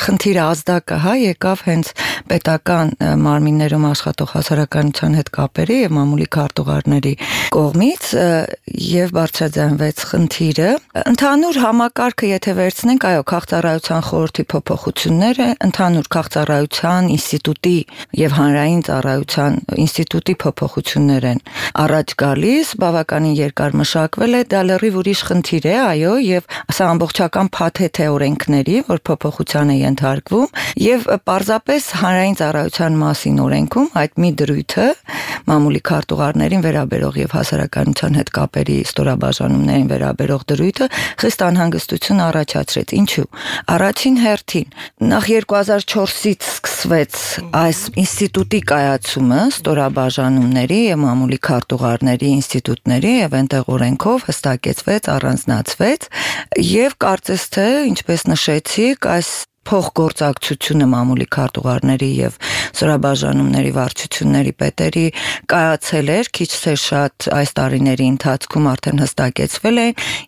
խնդիրը ազդակը եկավ հենց պետական մարմիններում աշխատող հասարակայնության հետ կապերի եւ մամուլի քարտուղարների կողմից եւ բարձրաձայնվեց խնդիրը։ Ընդհանուր համակարգը եթե վերցնենք, այո, քաղաքծառայության խորհրդի փոփոխությունները, ընդհանուր քաղաքծառայության ինստիտուտի եւ հանրային ծառայության ինստիտուտի փոփոխություններ են առաջ գալիս, բավականին երկար մշակվել է, դա լրիվ ուրիշ խնդիր է, այո, եւ սա ամբողջական փաթեթ է օրենքների, որ փոփոխության է ենթարկվում, եւ պարզապես հանրային ծառայության մասին օրենքում այդ մի դրույթը մամուլի քարտուղարներին վերաբերող եւ հասարակայնության հետ կապերի ստորաբաժանումներին վերաբերող դրույթը խիստ անհանգստություն առաջացրեց։ Ինչու՞։ Առաջին հերթին նախ 2004-ից սկսվեց այս ինստիտուտի կայացումը ստորաբաժանումների եւ մամուլի քարտուղարների ինստիտուտների եւ այնտեղ օրենքով հստակեցվեց, առանձնացվեց եւ կարծես թե, ինչպես նշեցիք, այս փոխգործակցությունը մամուլի քարտուղարների եւ ստորաբաժանումների վարչությունների պետերի կայացել էր քիչ թե շատ այս տարիների ընթացքում արդեն հստակեցվել է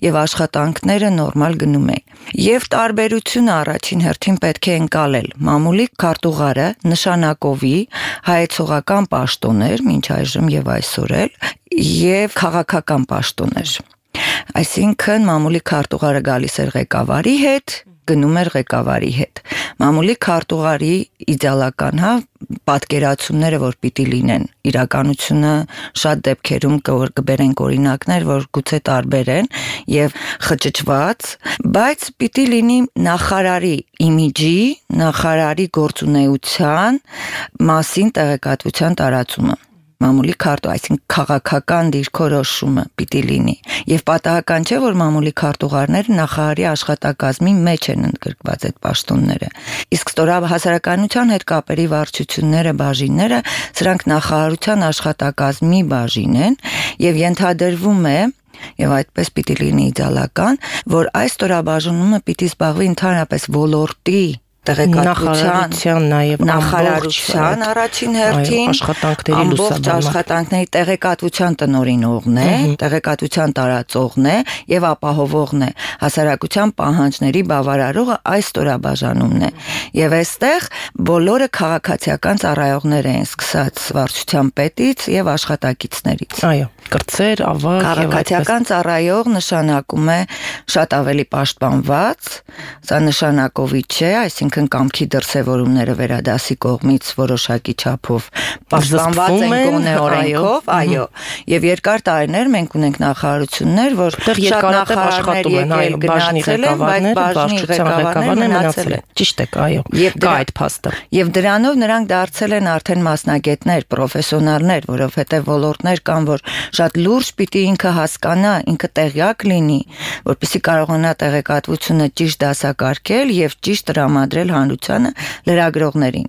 եւ աշխատանքները նորմալ գնում են։ Եվ տարբերությունը առաջին հերթին պետք է ընկալել։ Մամուլի քարտուղարը նշանակովի հայեցողական պաշտոն էր մինչ այժմ եւ այսօր էլ եւ քաղաքական պաշտոն էր։ Այսինքն մամուլի քարտուղարը գալիս էր ղեկավարի հետ, գնում էր ղեկավարի հետ։ Մամուլի քարտուղարի իդեալական պատկերացումները, որ պիտի լինեն, իրականությունը շատ դեպքերում կբերենք օրինակներ, որ գուցե տարբեր են եւ խճճված, բայց պիտի լինի նախարարի իմիջի, նախարարի գործունեության մասին տեղեկատվության տարածումը։ Մամուլի այսինքն քաղաքական դիրքորոշումը պիտի լինի եւ պատահական չէ, որ մամուլի քարտուղարները նախարարի աշխատակազմի մեջ են ընդգրկված այդ պաշտոնները։ Իսկ հասարակայնության հետ կապերի վարչությունները, բաժինները, սրանք նախարարության աշխատակազմի բաժին են եւ ենթադրվում է եւ այդպես պիտի լինի իդեալական, որ այս ստորաբաժանումը պիտի զբաղվի ընդհանրապես ոլորտի նախարարության նաև նախարարության առաջին հերթին աշխատանքների տեղեկատվության տնօրինողն է, տեղեկատվության տարածողն է եւ ապահովողն է, հասարակության պահանջների բավարարողը այս ստորաբաժանումն է։ Եվ այստեղ բոլորը քաղաքացիական ծառայողներ են, սկսած վարչության պետից եւ աշխատակիցներից։ Այո, կրծեր, ավագ եւ քաղաքացիական ծառայող նշանակում է շատ ավելի պաշտպանված, սա նշանակովի չէ, այսինքն կամքի դրսևորումները վերադասի կողմից որոշակի չափով պաշտպանված են գոնե օրենքով, այո, եւ երկար տարիներ մենք ունենք նախարարություններ, որ շատ նախարարներ եկել գնացել են, բայց բաժնի ղեկավարները մնացել են։ Ճիշտ է, այո, կա այդ փաստը։ Եվ դրանով նրանք դարձել են արդեն մասնագետներ, պրոֆեսիոնալներ, որովհետեւ ոլորտներ կան, որ շատ լուրջ պիտի ինքը հասկանա, ինքը տեղյակ լինի, որպեսզի կարողանա տեղեկատվությունը ճիշտ դասակարգել եւ ճիշտ տրամադրել հանրությանը լրագրողներին։